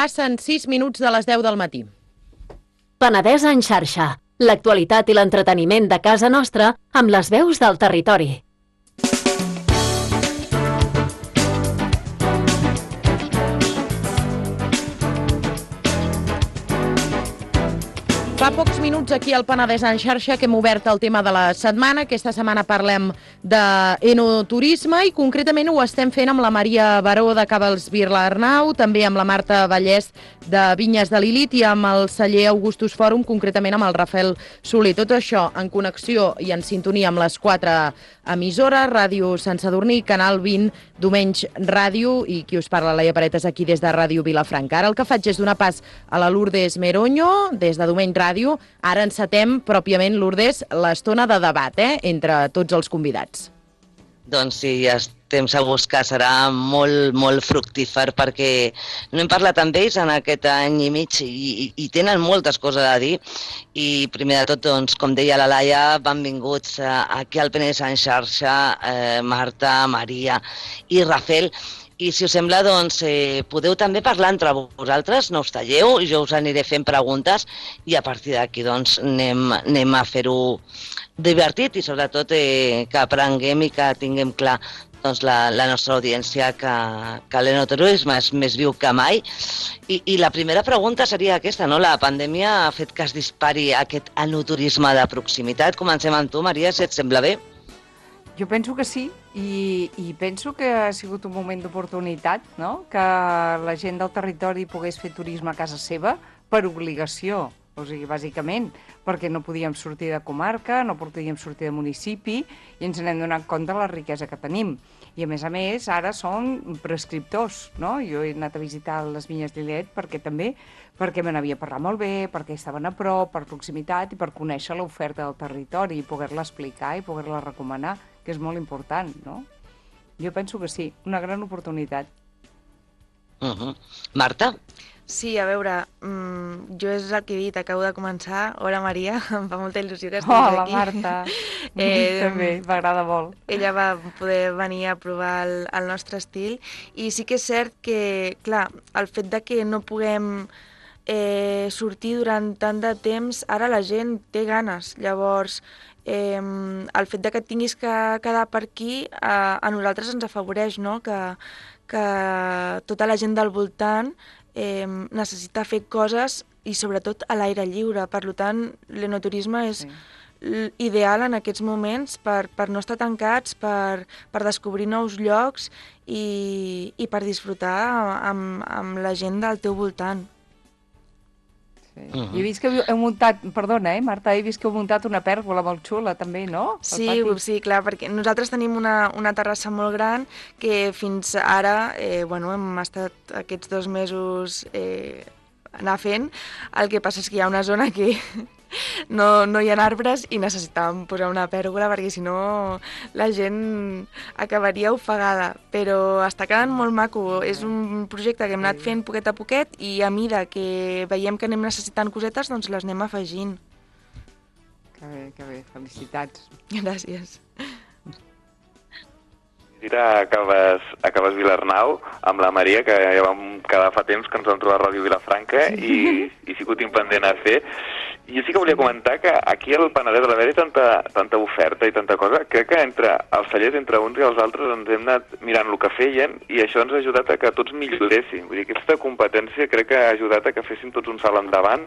Passen 6 minuts de les 10 del matí. Penedès en xarxa. L'actualitat i l'entreteniment de casa nostra amb les veus del territori. Fa pocs minuts aquí al Penedès en xarxa que hem obert el tema de la setmana. Aquesta setmana parlem d'enoturisme i concretament ho estem fent amb la Maria Baró de Cabals Vilarnau, també amb la Marta Vallès de Vinyes de Lilith i amb el celler Augustus Fòrum, concretament amb el Rafael Soler. Tot això en connexió i en sintonia amb les 4 emissores, Ràdio Sant Sadurní, Canal 20, Domenys Ràdio i qui us parla, Laia Paretes, aquí des de Ràdio Vilafranca. Ara el que faig és donar pas a la Lourdes Meroño, des de Domenys Ràdio. Ara encetem pròpiament, Lourdes, l'estona de debat entre tots els convidats. Doncs sí, estem segurs que serà molt fructífer perquè no hem parlat amb ells en aquest any i mig i tenen moltes coses a dir. I primer de tot, doncs, com deia la Laia, benvinguts aquí al Penedès en xarxa, Marta, Maria i Rafael. I si us sembla, doncs, podeu també parlar entre vosaltres, no us talleu, jo us aniré fent preguntes i a partir d'aquí doncs, anem a fer-ho divertit i sobretot que aprenguem i que tinguem clar doncs, la nostra audiència que l'enoturisme és més viu que mai. I la primera pregunta seria aquesta, no? La pandèmia ha fet que es dispari aquest enoturisme de proximitat. Comencem amb tu, Maria, si et sembla bé. Jo penso que sí, i penso que ha sigut un moment d'oportunitat, no? Que la gent del territori pogués fer turisme a casa seva per obligació, o sigui, bàsicament, perquè no podíem sortir de comarca, no podíem sortir de municipi, i ens n'hem donat compte de la riquesa que tenim. I a més, ara són prescriptors, no? Jo he anat a visitar les Vinyes de Lilith perquè me n'havia parlat molt bé, perquè estaven a prop, per proximitat i per conèixer l'oferta del territori i poder-la explicar i poder-la recomanar, que és molt important, no? Jo penso que sí, una gran oportunitat. Marta? Sí, a veure, jo és el que he dit, acabo de començar. Hola, Maria, em fa molta il·lusió que estiguis aquí. Hola, Marta. També, m'agrada molt. Ella va poder venir a provar el nostre estil i sí que és cert que, clar, el fet de que no puguem sortir durant tant de temps, ara la gent té ganes. Llavors, el fet de que tinguis que quedar per aquí a nosaltres ens afavoreix, no? Que tota la gent del voltant necessita fer coses i sobretot a l'aire lliure. Per tant, l'enoturisme és ideal en aquests moments per no estar tancats, per descobrir nous llocs i per disfrutar amb la gent del teu voltant. Sí. He vist que heu muntat, perdona, Marta, he vist que heu muntat una pèrgola molt xula també, no? Sí, clar, perquè nosaltres tenim una terrassa molt gran que fins ara, hem estat aquests 2 mesos anar fent. El que passa és que hi ha una zona que no hi ha arbres i necessitàvem posar una pèrgola perquè si no la gent acabaria ofegada, però està quedant molt maco. És un projecte que hem anat fent poquet a poquet i a mida que veiem que anem necessitant cosetes, doncs les anem afegint. Que bé, felicitats. Gràcies. A Cabals Vilarnau amb la Maria, que ja vam quedar fa temps que ens vam trobar a Ràdio Vilafranca i sí que ho tinc pendent a fer. I jo sí que volia comentar que aquí al Penedès, a l'haver-hi tanta oferta i tanta cosa, crec que entre els cellers, entre uns i els altres, ens hem anat mirant el que feien i això ens ha ajudat a que tots milloréssim. Vull dir, aquesta competència crec que ha ajudat a que féssim tots un salt endavant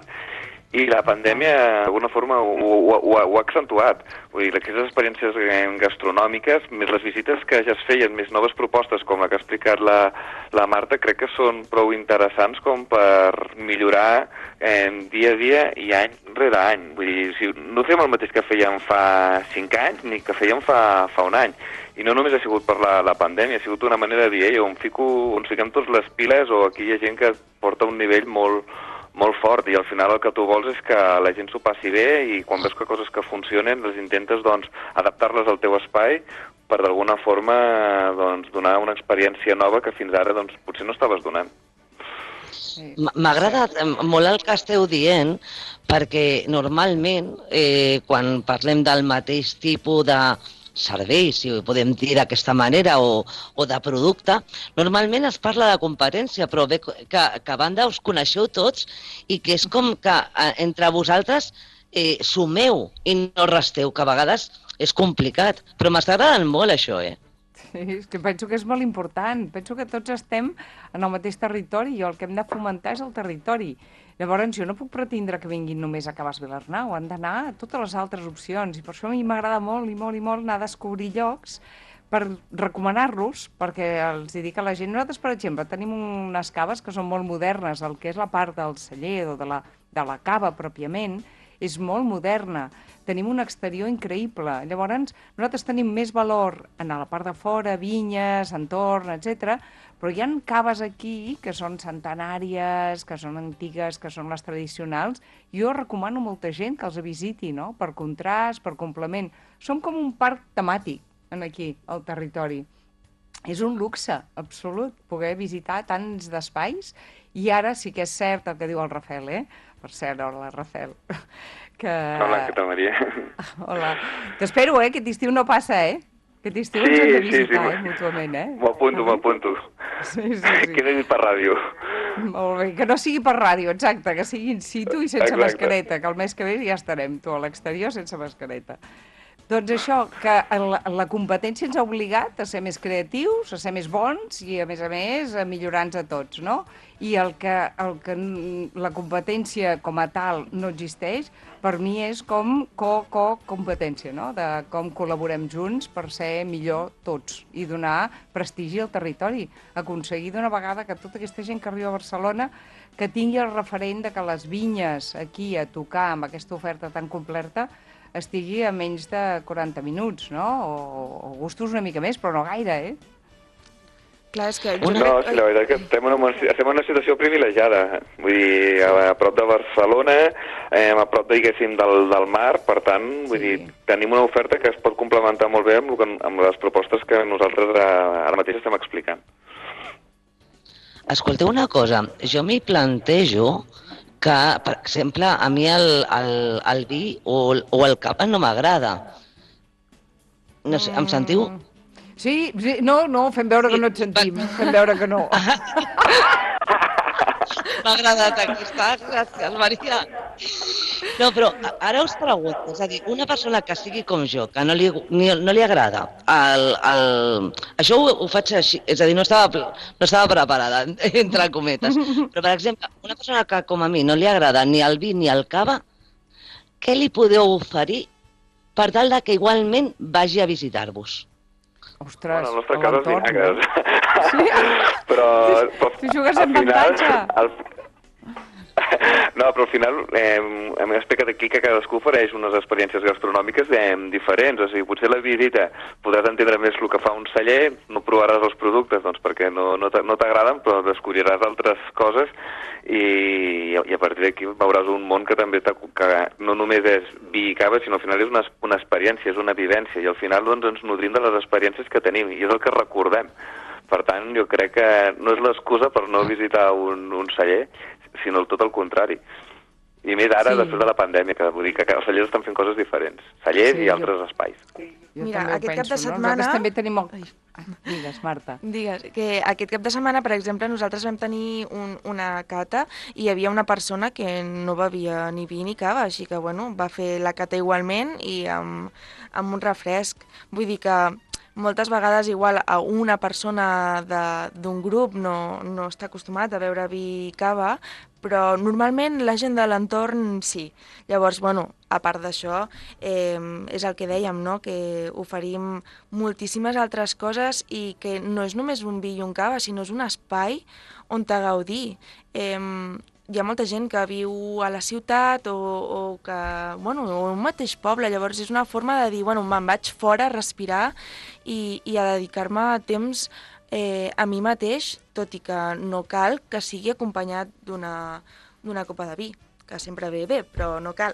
i la pandèmia d'alguna forma ho ha accentuat. Vull dir, aquestes experiències gastronòmiques, més les visites que ja es feien, més noves propostes com la que ha explicat la Marta, crec que són prou interessants com per millorar dia a dia i any rere any. Vull dir, no fem el mateix que fèiem fa 5 anys ni que fèiem fa un any. I no només ha sigut per la pandèmia, ha sigut una manera de dir, on fiquem tots les piles, o aquí hi ha gent que porta un nivell molt fort i al final el que tu vols és que la gent s'ho passi bé i quan veus que coses que funcionen les intentes adaptar-les al teu espai per d'alguna forma donar una experiència nova que fins ara potser no estaves donant. M'ha agradat molt el que esteu dient perquè normalment quan parlem del mateix tipus de servei, si ho podem dir d'aquesta manera, o de producte, normalment es parla de competència, però bé que a banda us coneixeu tots i que és com que entre vosaltres sumeu i no resteu, que a vegades és complicat, però m'està agradant molt això, Sí, és que penso que és molt important. Penso que tots estem en el mateix territori i el que hem de fomentar és el territori. Llavors, jo no puc pretendre que vinguin només a Cabàs Vilarnau, han d'anar a totes les altres opcions i per això a mi m'agrada molt i molt i molt anar a descobrir llocs per recomanar-los, perquè els dic a la gent, nosaltres, per exemple, tenim unes caves que són molt modernes, el que és la part del celler o de la cava pròpiament, és molt moderna. Tenim un exterior increïble. Llavors, nosaltres tenim més valor en la part de fora, vinyes, entorn, etc. Però hi ha caves aquí que són centenàries, que són antigues, que són les tradicionals. Jo recomano a molta gent que els visiti, no? Per contrast, per complement. Som com un parc temàtic aquí, al territori. És un luxe absolut poder visitar tants d'espais i ara sí que és cert el que diu el Rafael, Per cert, hola, Rafael. Hola, què tal, Maria? Hola. T'espero, Aquest estiu no passa, Aquest estiu ens hem de visitar, mútuament, M'ho apunto. Sí. Queda dit per ràdio. Molt bé, que no sigui per ràdio, exacte, que sigui in situ i sense mascareta, que el mes que ve ja estarem, tu, a l'exterior sense mascareta. Doncs això, que la competència ens ha obligat a ser més creatius, a ser més bons i, a més, a millorar-nos a tots, no? I el que la competència com a tal no existeix, per mi és com competència, no? De com col·laborem junts per ser millor tots i donar prestigi al territori. Aconseguir d'una vegada que tota aquesta gent que arriba a Barcelona que tingui el referent de que les vinyes aquí a tocar amb aquesta oferta tan completa estigui a menys de 40 minuts, no? O gustos una mica més, però no gaire, Clar, és que No, sí, la veritat que estem en una situació privilegiada. Vull dir, a prop de Barcelona, a prop, diguéssim, del mar, per tant, vull dir, tenim una oferta que es pot complementar molt bé amb les propostes que nosaltres ara mateix estem explicant. Escolteu una cosa, jo m'hi plantejo que, per exemple, a mi el vi o el cava no m'agrada. No sé, em sentiu? Sí, no, fem veure que no et sentim, fem veure que no. M'ha agradat aquesta, gràcies, Maria. No, però ara us pregunto, és a dir, una persona que sigui com jo, que no li agrada, això ho faig així, és a dir, no estava preparada, entre cometes, però, per exemple, una persona que com a mi no li agrada ni el vi ni el cava, què li podeu oferir per tal que igualment vagi a visitar-vos? Ostres, bueno, el nostre cas és vinagres. Sí? Però tu jugues en avantatge. No, però al final hem explicat aquí que cadascú ofereix unes experiències gastronòmiques diferents. O sigui, potser la visita podràs entendre més el que fa un celler, no provaràs els productes doncs, perquè no t'agraden, però descobriràs altres coses i a partir d'aquí veuràs un món que també que no només és vi i cava, sinó al final és una experiència, és una vivència, i al final doncs, ens nodrim de les experiències que tenim, i és el que recordem. Per tant, jo crec que no és l'excusa per no visitar un celler, sinó tot el contrari. I més ara, després de la pandèmia, que vull dir que els cellers estan fent coses diferents. Cellers i altres espais. Mira, aquest cap de setmana... Nosaltres també tenim... Digues, Marta. Digues, que aquest cap de setmana, per exemple, nosaltres vam tenir una cata i hi havia una persona que no bevia ni vi ni cava, així que, bueno, va fer la cata igualment i amb un refresc. Vull dir que moltes vegades igual a una persona d'un grup no està acostumat a beure vi i cava, però normalment la gent de l'entorn sí. Llavors, bueno, a part d'això, és el que dèiem, no? Que oferim moltíssimes altres coses i que no és només un vi i un cava, sinó és un espai on te gaudir. Hi ha molta gent que viu a la ciutat o que, bueno, o un mateix poble, llavors és una forma de dir, bueno, me'n vaig fora a respirar i a dedicar-me temps a mi mateix, tot i que no cal que sigui acompanyat d'una copa de vi, que sempre ve bé, però no cal.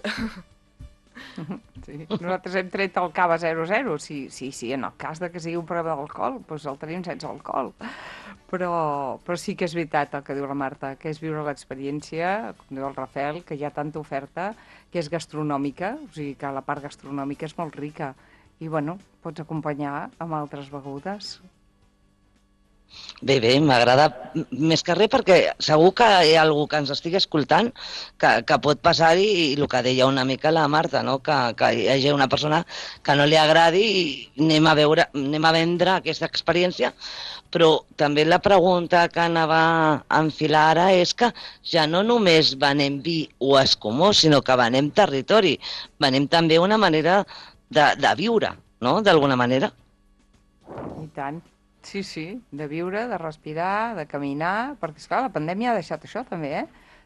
Sí. Nosaltres hem tret el cava 0,0, sí, en el cas de que sigui un problema d'alcohol, doncs el tenim sense alcohol. Però sí que és veritat el que diu la Marta, que és viure l'experiència, com diu el Rafael, que hi ha tanta oferta que és gastronòmica, o sigui que la part gastronòmica és molt rica bueno, pots acompanyar amb altres begudes. Bé, m'agrada més que res perquè segur que hi ha algú que ens estigui escoltant que pot passar-hi i el que deia una mica la Marta, no? Que hi hagi una persona que no li agradi i anem a vendre aquesta experiència, però també la pregunta que anava a enfilar ara és que ja no només venem vi o escumós, sinó que venem territori, venem també una manera de viure, no?, d'alguna manera. I tant. Sí, sí, de viure, de respirar, de caminar, perquè, esclar, la pandèmia ha deixat això també,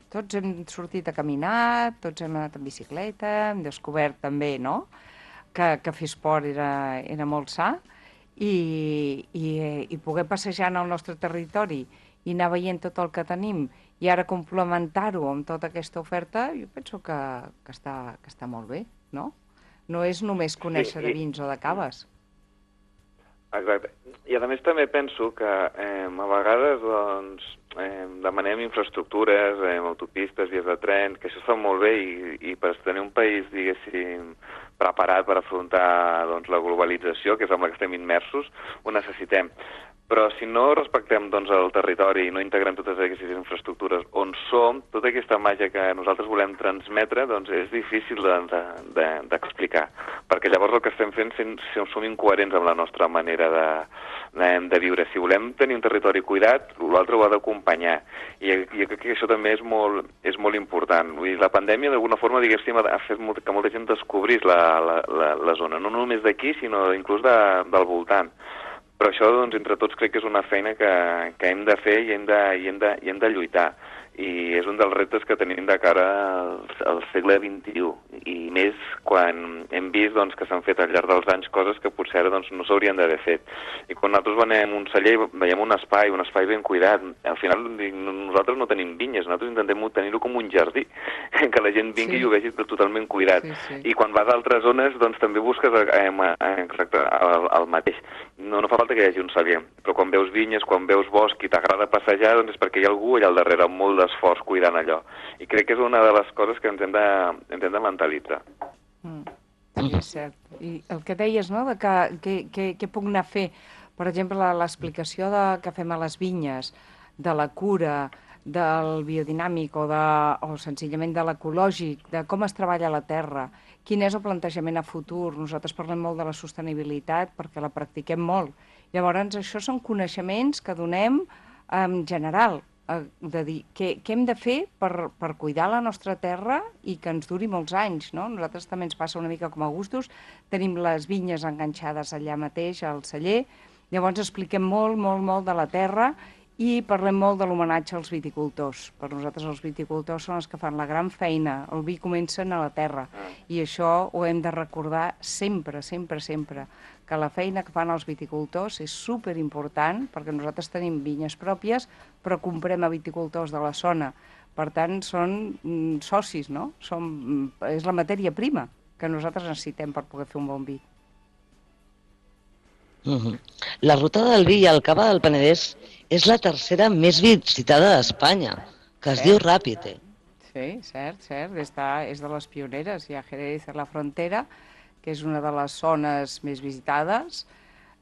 Tots hem sortit a caminar, tots hem anat en bicicleta, hem descobert també, no?, que fer esport era molt sa, i poder passejar en el nostre territori i anar veient tot el que tenim i ara complementar-ho amb tota aquesta oferta, jo penso que està molt bé, no? No és només conèixer de vins o de caves. Exacte. I a més també penso que a vegades doncs, demanem infraestructures, autopistes, vies de tren, que això està molt bé i per tenir un país, diguéssim, preparat per afrontar doncs, la globalització, que és amb la que estem immersos, ho necessitem. Però si no respectem doncs, el territori i no integrem totes aquestes infraestructures on som, tota aquesta màgia que nosaltres volem transmetre doncs, és difícil d'explicar. Perquè llavors el que estem fent som incoherents amb la nostra manera de viure. Si volem tenir un territori cuidat, l'altre ho ha d'acompanyar. I crec que això també és molt important. Vull dir, la pandèmia d'alguna forma diguéssim, ha fet que molta gent descobrís la zona, no només d'aquí, sinó inclús del voltant. Però això, doncs, entre tots crec que és una feina que hem de fer i hem de lluitar. I és un dels reptes que tenim de cara al segle XXI. I més quan hem vist doncs, que s'han fet al llarg dels anys coses que potser ara doncs, no s'haurien d'haver fet. I quan nosaltres venem un celler, veiem un espai ben cuidat. Al final nosaltres no tenim vinyes, nosaltres intentem tenir-ho com un jardí, que la gent vingui i ho vegi totalment cuidat. Sí. I quan vas a altres zones doncs, també busques exacte, el mateix. No fa falta que hi hagi un celler, però quan veus vinyes, quan veus bosc i t'agrada passejar, doncs és perquè hi ha algú allà al darrere amb molt d'esforç cuidant allò. I crec que és una de les coses que ens hem de mentalitzar. Sí, és cert. I el que deies, no?, de què puc anar a fer, per exemple, l'explicació que fem a les vinyes, de la cura, del biodinàmic o senzillament de l'ecològic, de com es treballa la terra, quin és el plantejament a futur. Nosaltres parlem molt de la sostenibilitat perquè la practiquem molt. Llavors, això són coneixements que donem en general, de dir què hem de fer per cuidar la nostra terra i que ens duri molts anys, no? Nosaltres també ens passa una mica com a gustos, tenim les vinyes enganxades allà mateix al celler, llavors expliquem molt de la terra i parlem molt de l'homenatge als viticultors. Per nosaltres els viticultors són els que fan la gran feina, el vi comença a la terra i això ho hem de recordar sempre, que la feina que fan els viticultors és superimportant perquè nosaltres tenim vinyes pròpies però comprem a viticultors de la zona. Per tant, són socis, no? És la matèria prima que nosaltres necessitem per poder fer un bon vi. La ruta del vi al Cava del Penedès és la tercera més visitada d'Espanya, que es diu ràpid. Sí, cert. És de les pioneres. Hi ha Jerez a la frontera, que és una de les zones més visitades.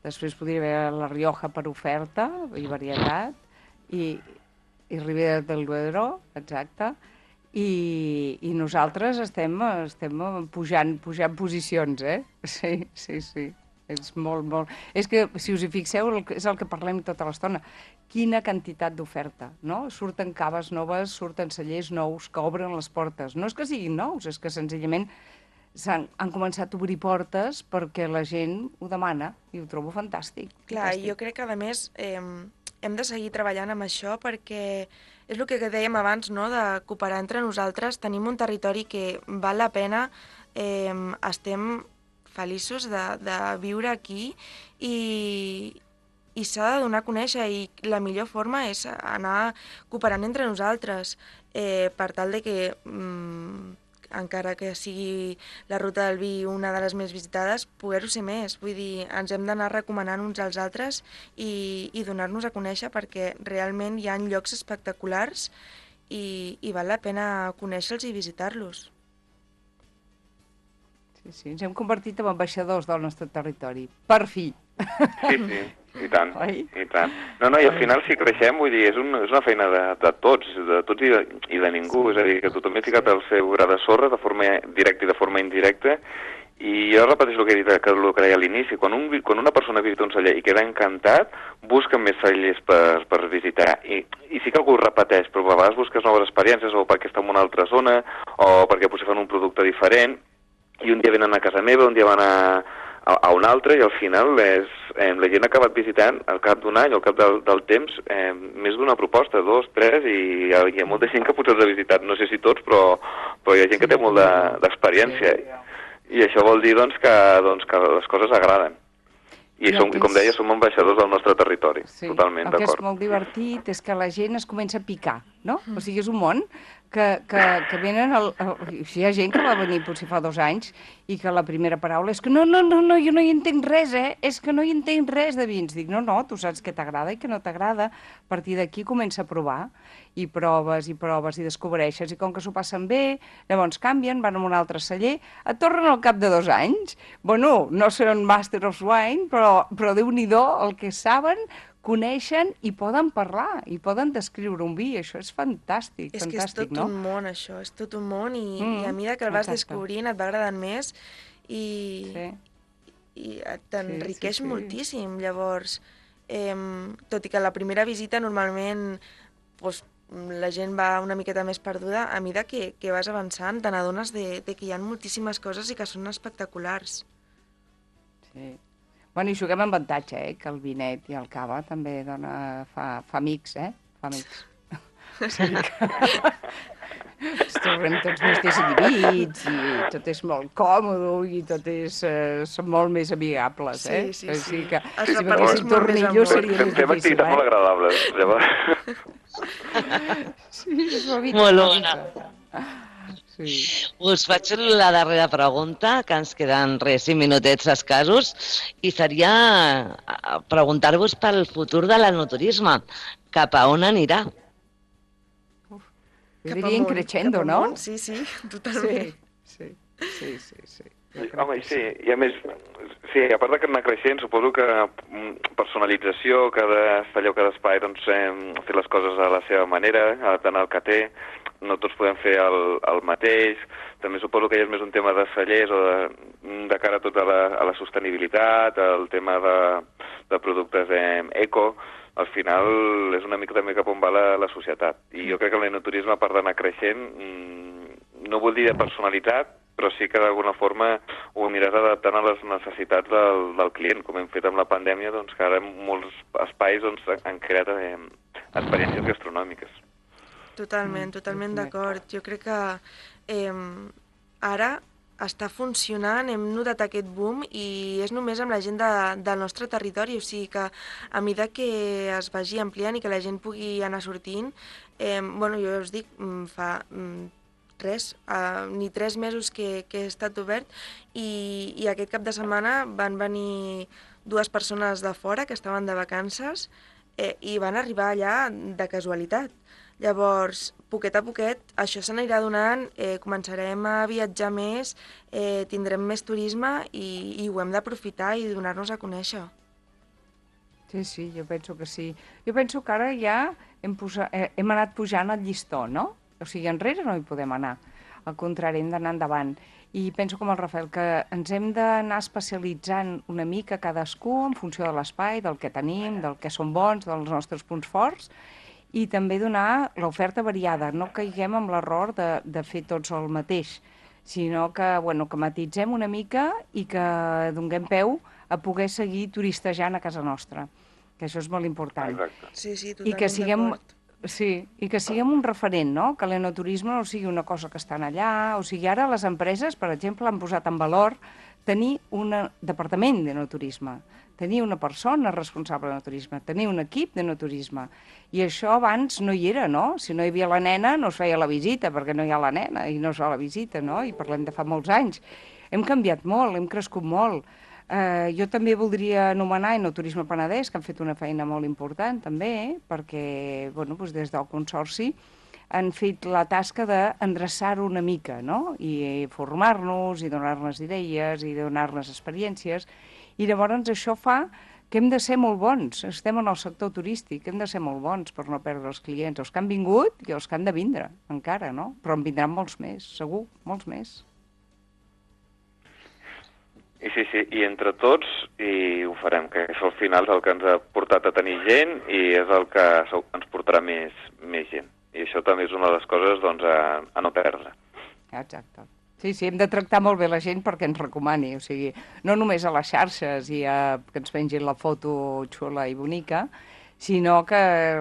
Després podria haver la Rioja per oferta i varietat, i Ribera del Duero, exacte. I nosaltres estem pujant posicions, Sí. És molt... És que, si us hi fixeu, és el que parlem tota l'estona. Quina quantitat d'oferta, no? Surten caves noves, surten cellers nous que obren les portes. No és que siguin nous, és que senzillament han començat a obrir portes perquè la gent ho demana i ho trobo fantàstic. Clar, jo crec que, a més, hem de seguir treballant amb això perquè és el que dèiem abans, no?, de cooperar entre nosaltres. Tenim un territori que val la pena, estem feliços de viure aquí i s'ha de donar a conèixer i la millor forma és anar cooperant entre nosaltres per tal de que, encara que sigui la ruta del vi una de les més visitades, poder-ho ser més. Vull dir, ens hem d'anar recomanant uns als altres i donar-nos a conèixer perquè realment hi ha llocs espectaculars i val la pena conèixer-los i visitar-los. Sí, ens hem convertit en ambaixadors del nostre territori. Per fi. Sí, i tant, Oi? i tant. No, i al final si creixem, vull dir, és una feina de tots i de ningú, és a dir, que tothom ha ficat el seu gra de sorra de forma directa i de forma indirecta, i jo repeteixo el que he dit, el que deia a l'inici, quan una persona visita un celler i queda encantat, busca més cellers per visitar, i sí que algú repeteix, però a vegades busques noves experiències, o perquè està en una altra zona, o perquè potser fan un producte diferent, i un dia venen a casa meva, un dia van a un altre, i al final la gent ha acabat visitant al cap d'un any, al cap del temps, més d'una proposta, 2, 3, i hi ha molta gent que potser els ha visitat, no sé si tots, però hi ha gent que té molt d'experiència, i això vol dir que les coses agraden. I com deia, som ambaixadors del nostre territori, totalment d'acord. El que és molt divertit és que la gent es comença a picar, no? O sigui, és un món que venen... Hi ha gent que va venir potser fa 2 anys i que la primera paraula és que no, jo no hi entenc res, és que no hi entenc res de vins. Dic, no, tu saps què t'agrada i què no t'agrada. A partir d'aquí comença a provar i proves i descobreixes, i com que s'ho passen bé, llavors canvien, van a un altre celler, et tornen al cap de 2 anys. Bueno, no són Master of Wine, però Déu-n'hi-do el que saben, coneixen i poden parlar, i poden descriure un vi. Això és fantàstic, és que és tot un món, això, és tot un món, i a mesura que el vas descobrint et va agradant més i t'enriqueix moltíssim. Llavors, tot i que la primera visita normalment la gent va una miqueta més perduda, a mesura que vas avançant te n'adones de que hi ha moltíssimes coses i que són espectaculars. Sí. Bueno, i juguem amb avantatge, que el vinet i el cava també fa amics, Fa amics. Sí que ens trobem tots més desinhibits i tot és molt còmode i són molt més amigables, Sí. Així que Els si repartits veníssim tornillos seria més Fem difícil, activitats molt agradables, llavors. Sí, és una Molt bona. Sí. Us faig la darrera pregunta, que ens queden 5 minutets escassos, i seria preguntar-vos pel futur de l'enoturisme. Cap a on anirà? Jo diria increixendo, no? Sí, totalment. Sí. Home, sí, i a més, a part d'anar creixent, suposo que personalització, cada celler o cada espai, fer les coses a la seva manera, adaptant al que té, no tots podem fer el mateix. També suposo que ja és més un tema de cellers o de cara a tot a la sostenibilitat, el tema de productes eco. Al final és una mica també cap on va la societat. I jo crec que l'enoturisme, a part d'anar creixent, no vol dir de personalitat, però sí que d'alguna forma ho aniràs adaptant a les necessitats del client, com hem fet amb la pandèmia, que ara molts espais han creat experiències gastronòmiques. Totalment d'acord. Jo crec que ara està funcionant, hem notat aquest boom i és només amb la gent del nostre territori, o sigui que a mesura que es vagi ampliant i que la gent pugui anar sortint, jo us dic, fa ni 3 mesos que he estat obert i aquest cap de setmana van venir 2 persones de fora que estaven de vacances i van arribar allà de casualitat. Llavors, poquet a poquet, això s'anirà donant, començarem a viatjar més, tindrem més turisme i ho hem d'aprofitar i donar-nos a conèixer. Sí, jo penso que sí. Jo penso que ara ja hem anat pujant el llistó, no? O sigui, enrere no hi podem anar. Al contrari, hem d'anar endavant. I penso com el Rafael, que ens hem d'anar especialitzant una mica cadascú en funció de l'espai, del que tenim, del que som bons, dels nostres punts forts, i també donar l'oferta variada, no caiguem en l'error de fer tots el mateix, sinó que matitzem una mica i que donem peu a poder seguir turistejant a casa nostra, que això és molt important. Exacte. Sí, totalment d'acord. Sí, i que siguem un referent, no? Que l'enoturisme no sigui una cosa que estan allà, o sigui, ara les empreses, per exemple, han posat en valor tenir un departament d'enoturisme, tenir una persona responsable d'enoturisme, tenir un equip d'enoturisme. I això abans no hi era, no? Si no hi havia la nena, no es feia la visita, perquè no hi ha la nena i no es fa la visita, no? I parlem de fa molts anys. Hem canviat molt, hem crescut molt. Jo també voldria anomenar Enoturisme Penedès, que han fet una feina molt important també, perquè des del Consorci han fet la tasca d'endreçar-ho una mica, no? I formar-nos, i donar-nos idees, i donar-nos experiències. I llavors això fa que hem de ser molt bons. Estem en el sector turístic, hem de ser molt bons per no perdre els clients, els que han vingut i els que han de vindre, encara, no? Però en vindran molts més, segur, molts més. I sí, i entre tots i ho farem, que això al final és el que ens ha portat a tenir gent i és el que ens portarà més gent. I això també és una de les coses doncs, a no perdre. Exacte. Sí, hem de tractar molt bé la gent perquè ens recomani, o sigui, no només a les xarxes i que ens pengin la foto xula i bonica, sinó que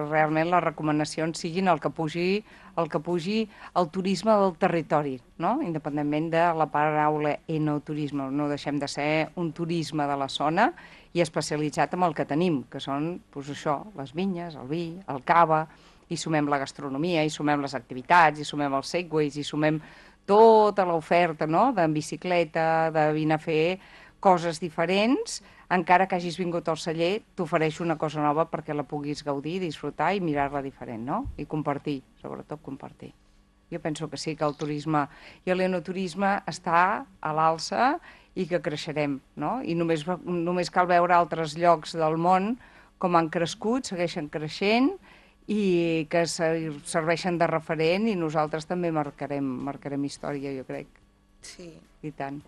realment les recomanacions siguin el que pugi el turisme del territori, no? Independentment de la paraula enoturisme. No deixem de ser un turisme de la zona i especialitzat en el que tenim, que són, doncs això, les vinyes, el vi, el cava, i sumem la gastronomia, i sumem les activitats, i sumem els segways, i sumem tota l'oferta, no?, de bicicleta, de vine a fer coses diferents, encara que hagis vingut al celler, t'ofereixo una cosa nova perquè la puguis gaudir, disfrutar i mirar-la diferent, no? I compartir, sobretot compartir. Jo penso que sí, que el turisme i l'enoturisme està a l'alça i que creixerem, no? I només cal veure altres llocs del món com han crescut, segueixen creixent i que serveixen de referent i nosaltres també marcarem història, jo crec. Sí. I tant.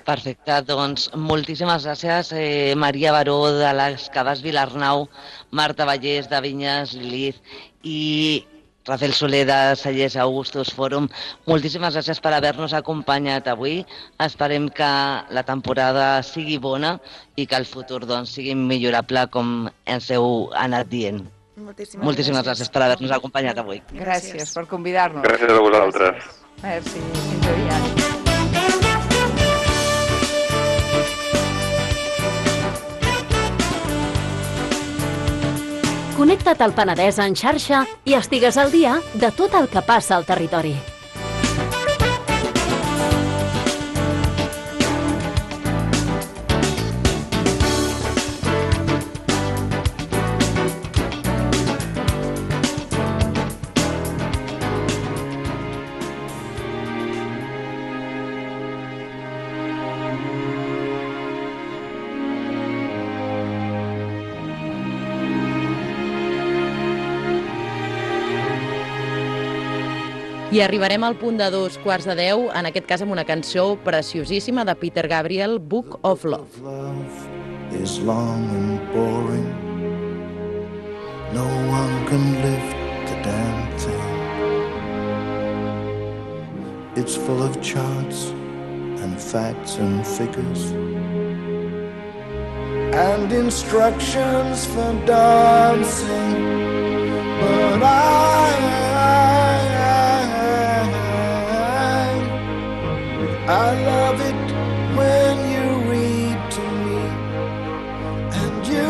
Perfecte, doncs moltíssimes gràcies, Maria Baró de les Caves Vilarnau, Marta Vallès de Vinyes Lilith i Rafael Soler de Cellers Augustus Fòrum. Moltíssimes gràcies per haver-nos acompanyat avui. Esperem que la temporada sigui bona i que el futur doncs, sigui millorable com ens heu anat dient. Moltíssimes gràcies per haver-nos acompanyat avui. Gràcies per convidar-nos. Gràcies a vosaltres. Merci, fins aviat. Connecta't al Penedès en xarxa i estigues al dia de tot el que passa al territori. I arribarem al punt de 2:15, en aquest cas amb una cançó preciosíssima de Peter Gabriel, Book of Love. Love is long and boring. No one can lift the damn thing. It's full of charts and facts and figures and instructions for dancing. But I love it when you read to me, and you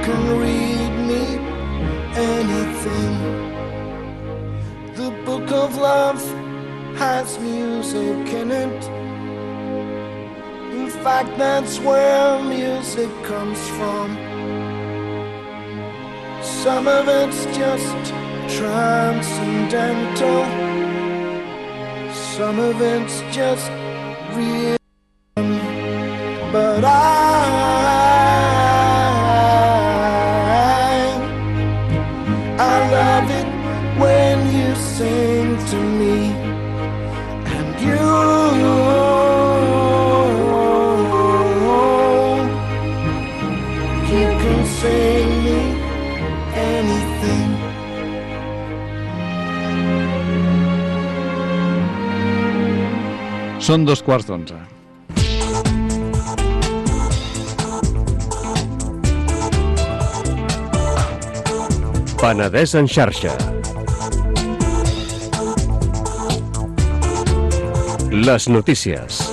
can read me anything. The book of love has music in it. In fact, that's where music comes from. Some of it's just transcendental. Some of it's just real. But I love it when you sing to me, and you can sing me anything. Són 2:15. Penedès en xarxa. Les notícies.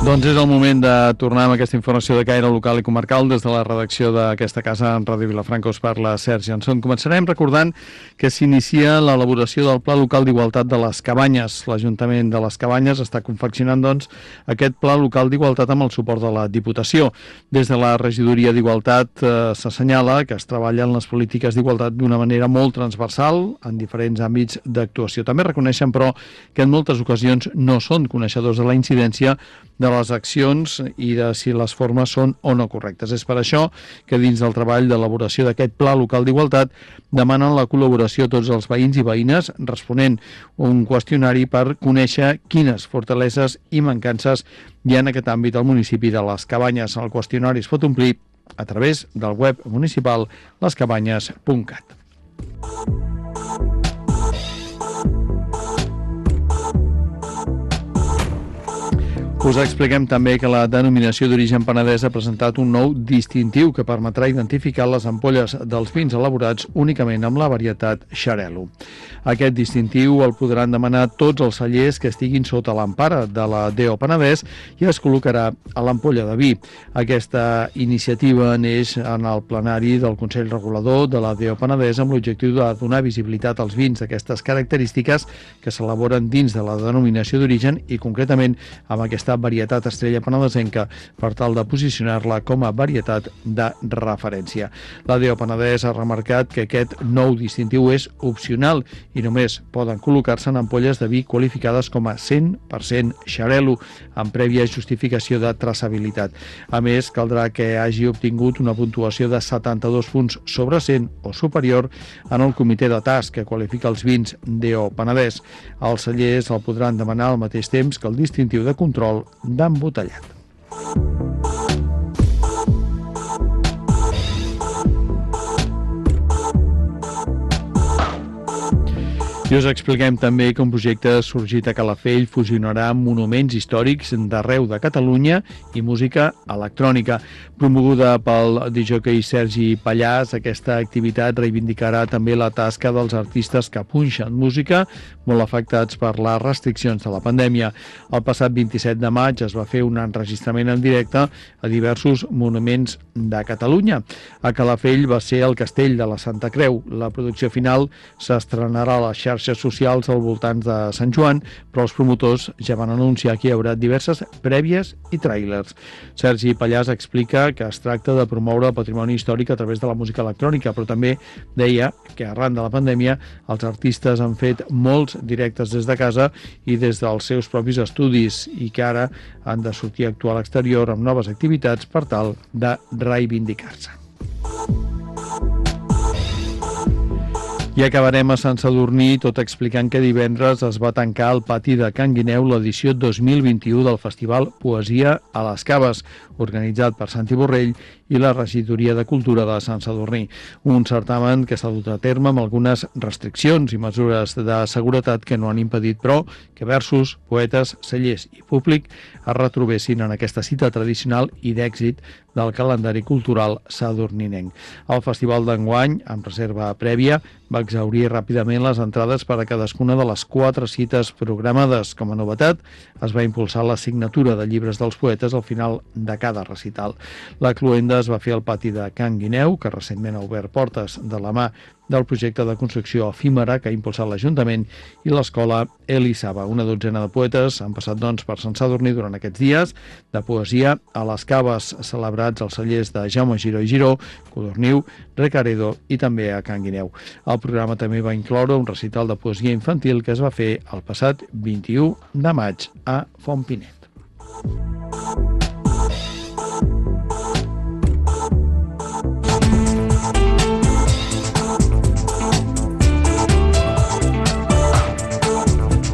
Doncs és el moment de tornar amb aquesta informació de caire local i comarcal des de la redacció d'aquesta casa en Ràdio Vilafranca. Us parla Sergi Anson. Començarem recordant que s'inicia l'elaboració del Pla Local d'Igualtat de les Cabanyes. L'Ajuntament de les Cabanyes està confeccionant, doncs, aquest Pla Local d'Igualtat amb el suport de la Diputació. Des de la Regidoria d'Igualtat s'assenyala que es treballen les polítiques d'igualtat d'una manera molt transversal en diferents àmbits d'actuació. També reconeixen, però, que en moltes ocasions no són coneixedors de la incidència de les accions i de si les formes són o no correctes. És per això que dins del treball d'elaboració d'aquest Pla Local d'Igualtat demanen la col·laboració a tots els veïns i veïnes responent un qüestionari per conèixer quines fortaleses i mancances hi ha en aquest àmbit al municipi de les Cabanyes. El qüestionari es pot omplir a través del web municipal lescabanyes.cat. Us expliquem també que la denominació d'origen Penedès ha presentat un nou distintiu que permetrà identificar les ampolles dels vins elaborats únicament amb la varietat Xarel·lo. Aquest distintiu el podran demanar tots els cellers que estiguin sota l'empara de la DO Penedès i es col·locarà a l'ampolla de vi. Aquesta iniciativa neix en el plenari del Consell Regulador de la DO Penedès amb l'objectiu de donar visibilitat als vins d'aquestes característiques que s'elaboren dins de la denominació d'origen i concretament amb aquesta varietat estrella penedesenca per tal de posicionar-la com a varietat de referència. La DO Penedès ha remarcat que aquest nou distintiu és opcional i només poden col·locar-se en ampolles de vi qualificades com a 100% Xarel·lo, amb prèvia justificació de traçabilitat. A més, caldrà que hagi obtingut una puntuació de 72 punts sobre 100 o superior en el comitè de TAS que qualifica els vins DO Penedès. Els cellers el podran demanar al mateix temps que el distintiu de control d'embotellat. I us expliquem també que un projecte sorgit a Calafell fusionarà monuments històrics d'arreu de Catalunya i música electrònica. Promoguda pel discjòquei Sergi Pallàs, aquesta activitat reivindicarà també la tasca dels artistes que punxen música molt afectats per les restriccions de la pandèmia. El passat 27 de maig es va fer un enregistrament en directe a diversos monuments de Catalunya. A Calafell va ser el Castell de la Santa Creu. La producció final s'estrenarà a les xarxes socials al voltant de Sant Joan, però els promotors ja van anunciar que hi haurà diverses prèvies i tràilers. Sergi Pallàs explica que es tracta de promoure el patrimoni històric a través de la música electrònica, però també deia que arran de la pandèmia els artistes han fet molts directes des de casa i des dels seus propis estudis i que ara han de sortir a actuar a l'exterior amb noves activitats per tal de reivindicar-se. I acabarem a Sant Sadurní tot explicant que divendres es va tancar al pati de Can Guineu l'edició 2021 del Festival Poesia a les Caves, organitzat per Santi Borrell i la Regidoria de Cultura de Sant Sadurní. Un certamen que s'ha dut a terme amb algunes restriccions i mesures de seguretat que no han impedit, però, que versos, poetes, cellers i públic es retrobessin en aquesta cita tradicional i d'èxit del calendari cultural sadurninenc. El festival d'enguany, amb reserva prèvia, va exhaurir ràpidament les entrades per a cadascuna de les 4 cites programades. Com a novetat, es va impulsar la signatura de llibres dels poetes al final de cada recital. La cloenda es va fer al pati de Can Guineu, que recentment ha obert portes de la mà del projecte de construcció efímera que ha impulsat l'Ajuntament, i l'escola Elisava. Una dotzena de poetes han passat, doncs, per Sant Sadurní durant aquests dies de poesia a les caves celebrats als cellers de Jaume Giró i Giró, Codorniu, Recaredo i també a Can Guineu. El programa també va incloure un recital de poesia infantil que es va fer el passat 21 de maig a Fontpinet.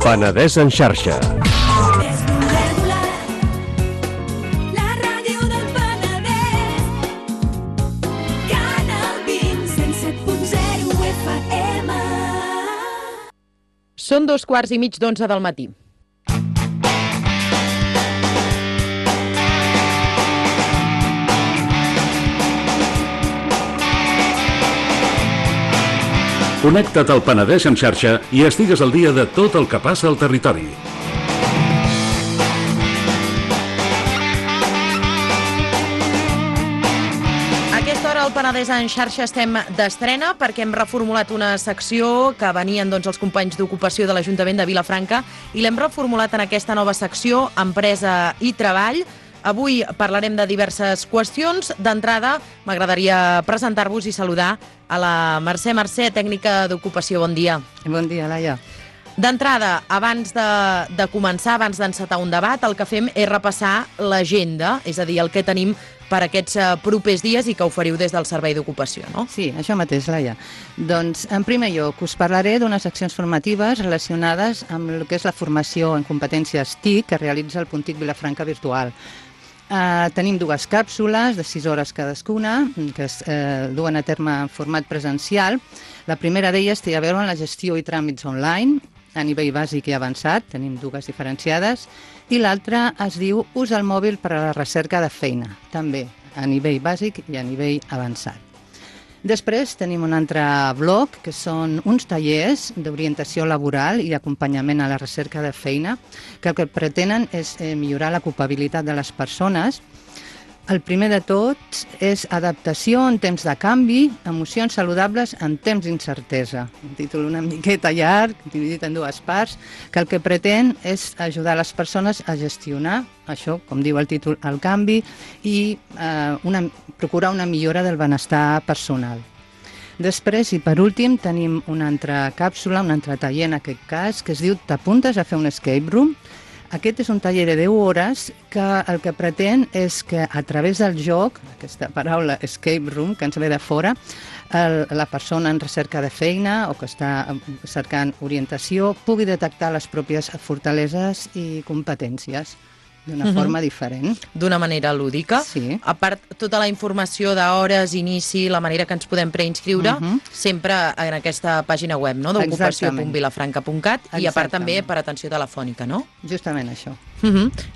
Penedès en xarxa. La ràdio del Penedès. Canal 27.0 FM. Són 2:15 del matí. Connecta't al Penedès en xarxa i estigues al dia de tot el que passa al territori. hora al Penedès en xarxa estem d'estrena perquè hem reformulat una secció que venien els companys d'ocupació de l'Ajuntament de Vilafranca i l'hem reformulat en aquesta nova secció, Empresa i Treball. Avui parlarem de diverses qüestions. D'entrada, m'agradaria presentar-vos i saludar a la Mercè Mercè, tècnica d'ocupació. Bon dia. Bon dia, Laia. D'entrada, abans de començar, abans d'encetar un debat, el que fem és repassar l'agenda, és a dir, el que tenim per aquests propers dies i que oferiu des del Servei d'Ocupació, no? Sí, això mateix, Laia. Doncs, en primer lloc, us parlaré d'unes accions formatives relacionades amb el que és la formació en competències TIC que realitza el Puntic Vilafranca Virtual. Tenim dues càpsules de 6 hores cadascuna que es duen a terme en format presencial. La primera d'elles té a veure amb la gestió i tràmits online a nivell bàsic i avançat, tenim dues diferenciades, i l'altra es diu Ús del mòbil per a la recerca de feina, també a nivell bàsic i a nivell avançat. Després tenim un altre bloc, que són uns tallers d'orientació laboral i acompanyament a la recerca de feina, que el que pretenen és millorar l'ocupabilitat de les persones. El primer de tots és adaptació en temps de canvi, emocions saludables en temps d'incertesa. Un títol una miqueta llarg, dividit en dues parts, que el que pretén és ajudar les persones a gestionar això, com diu el títol, el canvi i procurar una millora del benestar personal. Després, i per últim, tenim una altra càpsula, un altre taller en aquest cas, que es diu T'apuntes a fer un escape room? Aquest és un taller de 10 hores que el que pretén és que a través del joc, aquesta paraula escape room, que ens ve de fora, la persona en recerca de feina o que està cercant orientació pugui detectar les pròpies fortaleses i competències d'una forma diferent. D'una manera lúdica. Sí. A part, tota la informació d'hores, inici, la manera que ens podem preinscriure, sempre en aquesta pàgina web, no?, d'ocupació.vilafranca.cat, i a part també per atenció telefònica, no? Justament això.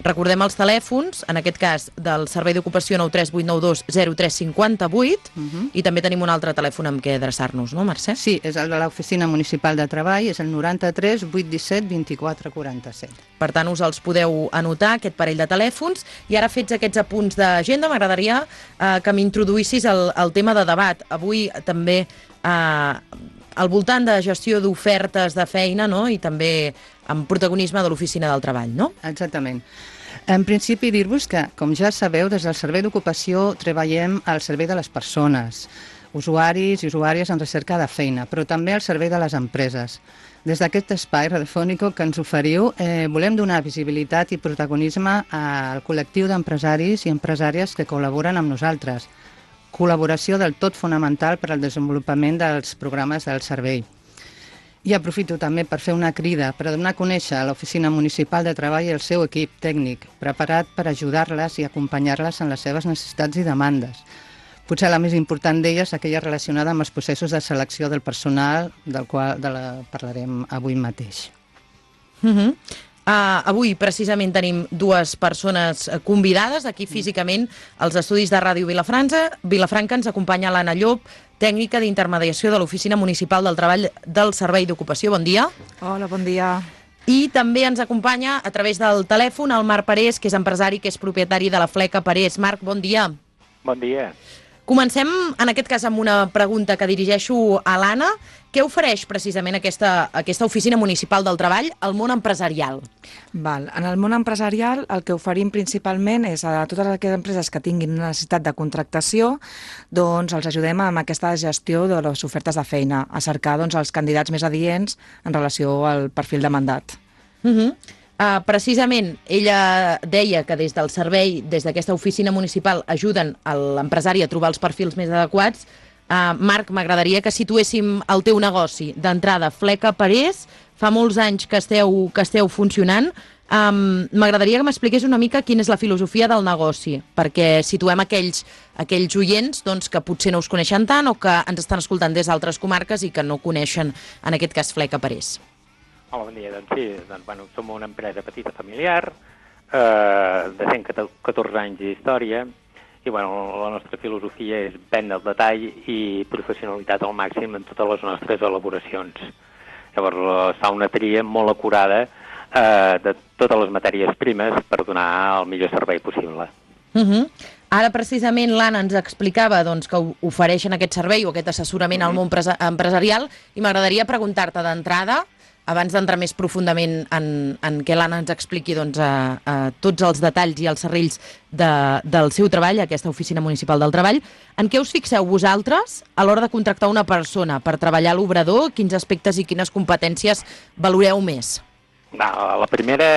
Recordem els telèfons, en aquest cas del Servei d'Ocupació 93892 0358, i també tenim un altre telèfon amb què adreçar-nos, no, Mercè? Sí, és el de l'Oficina Municipal de Treball, és el 93 817 24 47. Per tant, us els podeu anotar, aquest parell de telèfons, i ara fets aquests apunts d'agenda, m'agradaria que m'introduïssis el tema de debat. Avui també al voltant de gestió d'ofertes de feina, no?, i també amb protagonisme de l'Oficina del Treball, no? Exactament. En principi, dir-vos que, com ja sabeu, des del Servei d'Ocupació treballem al servei de les persones, usuaris i usuàries en recerca de feina, però també al servei de les empreses. Des d'aquest espai radiofònic que ens oferiu, volem donar visibilitat i protagonisme al col·lectiu d'empresaris i empresàries que col·laboren amb nosaltres. Col·laboració del tot fonamental per al desenvolupament dels programes del servei. I aprofito també per fer una crida per donar a conèixer a l'Oficina Municipal de Treball i el seu equip tècnic, preparat per ajudar-les i acompanyar-les en les seves necessitats i demandes. Potser la més important d'elles, aquella relacionada amb els processos de selecció del personal, del qual parlarem avui mateix. Avui, precisament, tenim dues persones convidades aquí físicament als estudis de Ràdio Vilafranca. Ens acompanya l'Anna Llop, tècnica d'intermediació de l'Oficina Municipal del Treball del Servei d'Ocupació. Bon dia. Hola, bon dia. I també ens acompanya a través del telèfon el Marc Parés, que és empresari, que és propietari de la Fleca Parés. Marc, bon dia. Bon dia. Comencem, en aquest cas, amb una pregunta que dirigeixo a l'Anna. Què ofereix precisament aquesta Oficina Municipal del Treball al món empresarial? En el món empresarial el que oferim principalment és a totes aquelles empreses que tinguin necessitat de contractació, doncs els ajudem amb aquesta gestió de les ofertes de feina, a cercar els candidats més adients en relació al perfil demandat. Precisament, ella deia que des del servei, des d'aquesta oficina municipal, ajuden l'empresari a trobar els perfils més adequats. Marc, m'agradaria que situéssim el teu negoci. D'entrada, Fleca Parés, fa molts anys que esteu funcionant. M'agradaria que m'expliqués una mica quina és la filosofia del negoci, perquè situem aquells oients que potser no us coneixen tant o que ens estan escoltant des d'altres comarques i que no coneixen, en aquest cas, Fleca Parés. Hola, bon dia. Doncs sí, som una empresa petita familiar, de 114 anys d'història, i la nostra filosofia és vendre al detall i professionalitat al màxim en totes les nostres elaboracions. Llavors, es fa una tria molt acurada de totes les matèries primes per donar el millor servei possible. Ara, precisament, l'Anna ens explicava doncs, que ofereixen aquest servei o aquest assessorament al món empresarial i m'agradaria preguntar-te d'entrada, abans d'entrar més profundament en què l'Anna ens expliqui doncs, tots els detalls i els serrells del seu treball, aquesta oficina municipal del treball, en què us fixeu vosaltres a l'hora de contractar una persona per treballar a l'obrador? Quins aspectes i quines competències valoreu més? La primera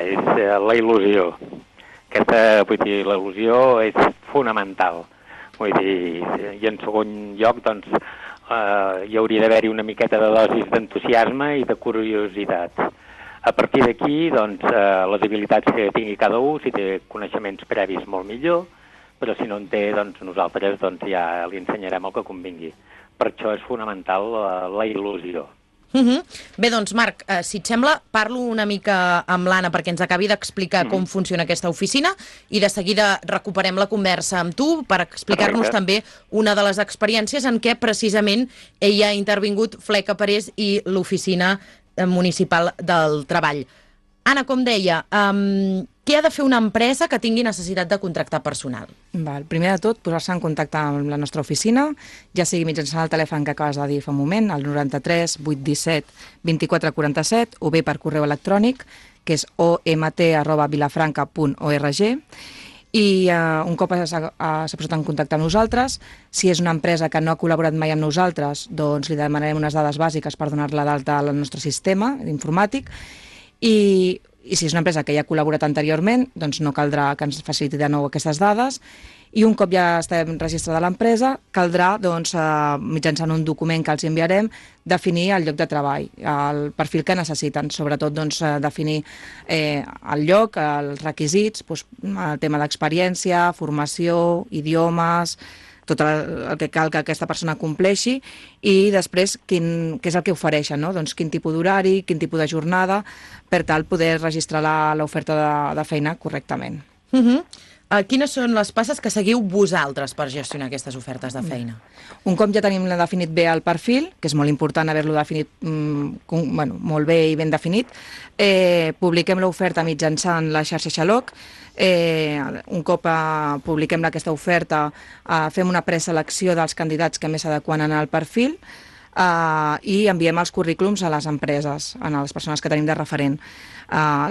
és la il·lusió. Vull dir, la il·lusió és fonamental. Vull dir, i en segon lloc, doncs, hi hauria d'haver-hi una miqueta de dosis d'entusiasme i de curiositat. A partir d'aquí, doncs, les habilitats que tingui cada un, si té coneixements previs molt millor, però si no en té, doncs nosaltres ja li ensenyarem el que convingui. Per això és fonamental la il·lusió. Bé, doncs, Marc, si et sembla, parlo una mica amb l'Anna perquè ens acabi d'explicar com funciona aquesta oficina i de seguida recuperem la conversa amb tu per explicar-nos també una de les experiències en què precisament ella ha intervingut Fleca Parés i l'oficina municipal del treball. Anna, com deia, què ha de fer una empresa que tingui necessitat de contractar personal? Primer de tot, posar-se en contacte amb la nostra oficina, ja sigui mitjançant el telèfon que acabes de dir fa un moment, el 93 817 2447, o bé per correu electrònic, que és omt@vilafranca.org, i un cop s'ha posat en contacte amb nosaltres, si és una empresa que no ha col·laborat mai amb nosaltres, doncs li demanarem unes dades bàsiques per donar-la d'alta al nostre sistema informàtic, i si és una empresa que ja ha col·laborat anteriorment, doncs no caldrà que ens faciliti de nou aquestes dades, i un cop ja estem registrada l'empresa, caldrà, doncs, mitjançant un document que els enviarem, definir el lloc de treball, el perfil que necessiten, sobretot doncs, definir el lloc, els requisits, doncs, el tema d'experiència, formació, idiomes, tot el que cal que aquesta persona compleixi, i després què és el que ofereixen, no? Doncs quin tipus d'horari, quin tipus de jornada, per tal poder registrar l'oferta de feina correctament. Quines són les passes que seguiu vosaltres per gestionar aquestes ofertes de feina? Un cop ja tenim definit bé el perfil, que és molt important haver-lo definit molt bé i ben definit, publiquem l'oferta mitjançant la xarxa Xaloc. Un cop publiquem aquesta oferta, fem una preselecció dels candidats que més s'adequen al perfil i enviem els currículums a les empreses, a les persones que tenim de referent.